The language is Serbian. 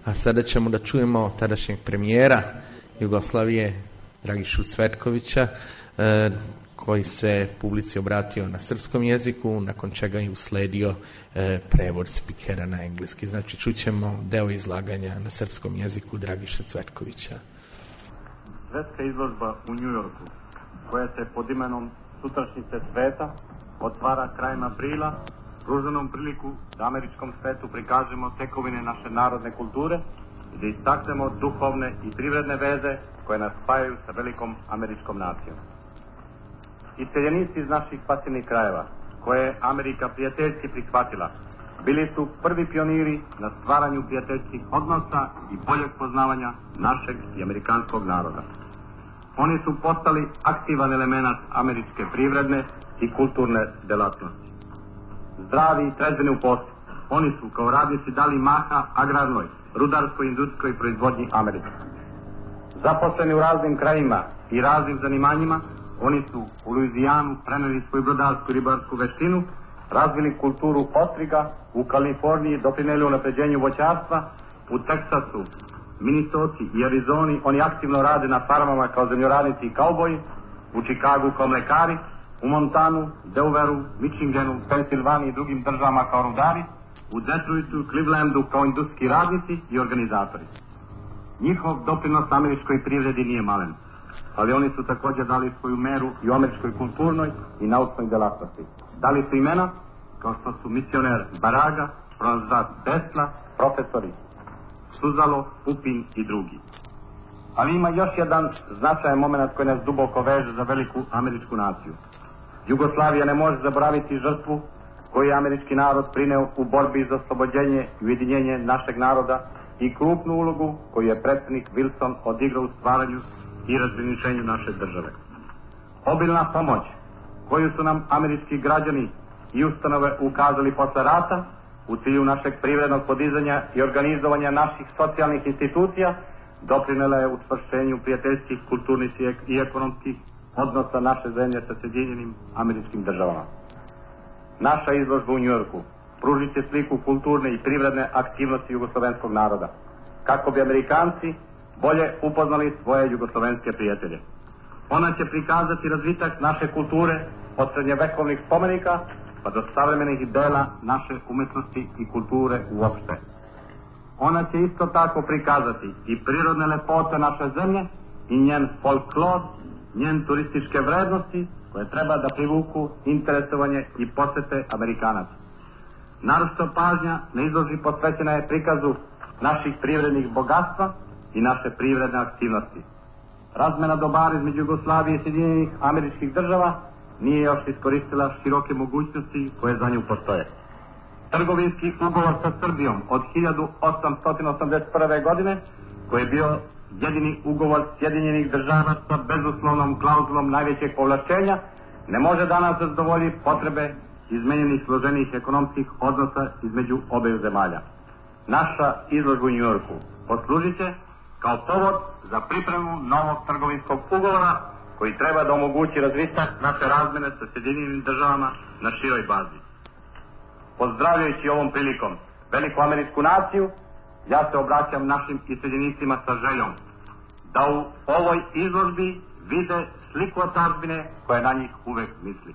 A sada ćemo da čujemo tadašnjeg premijera Jugoslavije, Dragišu Cvetkovića, koji se publici obratio na srpskom jeziku, nakon čega je usledio prevod spikera na engleski. Znači, čućemo deo izlaganja na srpskom jeziku Dragiša Cvetkovića. Svetska izložba u Njujorku, koja se pod imenom Sutrašnjice sveta otvara krajem aprila, pruža nam priliku da američkom svetu prikažemo tekovine naše narodne kulture i da istaknemo duhovne i privredne veze koje nas spajaju sa velikom američkom nacijom. Iseljenici iz naših pasivnih krajeva, koje je Amerika prijateljski prihvatila, bili su prvi pioniri na stvaranju prijateljskih odnosa i boljeg poznavanja našeg i amerikanskog naroda. Oni su postali aktivan element američke privredne i kulturne delatnosti. Zdravi i trezveni u poslu, oni su kao radnici dali maha agrarnoj, rudarskoj i industrijskoj proizvodnji Amerike. Zaposleni u raznim krajima i raznim zanimanjima, oni su u Luizijanu preneli svoju brodarsku i ribarsku veštinu, razvili kulturu ostriga, u Kaliforniji doprineli unapređenju voćarstva, u Teksasu, Minnesoti i Arizoni oni aktivno rade na farmama kao zemljoradnici i kauboji, u Čikagu kao mlekari, u Montanu, Delaware, Michiganu, Pensilvaniji i drugim državama kao rudari, u Detroitu i Clevelandu kao industrijski radnici i organizatori. Njihov doprinos američkoj privredi nije malen, ali oni su također dali svoju meru i u američkoj kulturnoj i naučnoj delatnosti. Dali su imena kao što su misioner Baraga, pronalazač Tesla, profesori Suzalo, Pupin i drugi. Ali ima još jedan značajan moment koji nas duboko veže za veliku američku naciju. Jugoslavija ne može zaboraviti žrtvu koju je američki narod prineo u borbi za oslobođenje i ujedinjenje našeg naroda i krupnu ulogu koju je predsjednik Wilson odigrao u stvaranju i razgraničenju naše države. Obilna pomoć koju su nam američki građani i ustanove ukazali posle rata u cilju našeg privrednog podizanja i organizovanja naših socijalnih institucija doprinela je učvršćenju prijateljskih, kulturnih i ekonomskih odnosa naše zemlje sa Sjedinjenim Američkim Državama. Naša izložba u Njujorku pružit će sliku kulturne i privredne aktivnosti jugoslovenskog naroda, kako bi Amerikanci bolje upoznali svoje jugoslovenske prijatelje. Ona će prikazati razvitak naše kulture od srednjevekovnih spomenika pa do savremenih dela naše umetnosti i kulture uopšte. Ona će isto tako prikazati i prirodne lepote naše zemlje i njen folklor, njen turističke vrednosti koje treba da privuku interesovanje i posete Amerikanaca. Naročito pažnja na izložbi posvećena je prikazu naših privrednih bogatstva i naše privredne aktivnosti. Razmena dobara između Jugoslavije i Sjedinjenih Američkih Država nije još iskoristila široke mogućnosti koje za nju postoje. Trgovinski ugovor sa Srbijom od 1881. godine, koji je bio jedini ugovor Sjedinjenih Država sa bezuslovnom klauzulom najvećeg povlašćenja, ne može danas zadovoljiti potrebe izmenjenih složenih ekonomskih odnosa između obe zemalja. Naša izložba u Njujorku poslužit će kao povod za pripremu novog trgovinskog ugovora koji treba da omogući razvitak naše razmene sa Sjedinjenim Državama na široj bazi. Pozdravljajući ovom prilikom veliku američku naciju, ja se obraćam našim iseljenicima sa željom da u ovoj izložbi vide sliku otadžbine koja na njih uvek misli.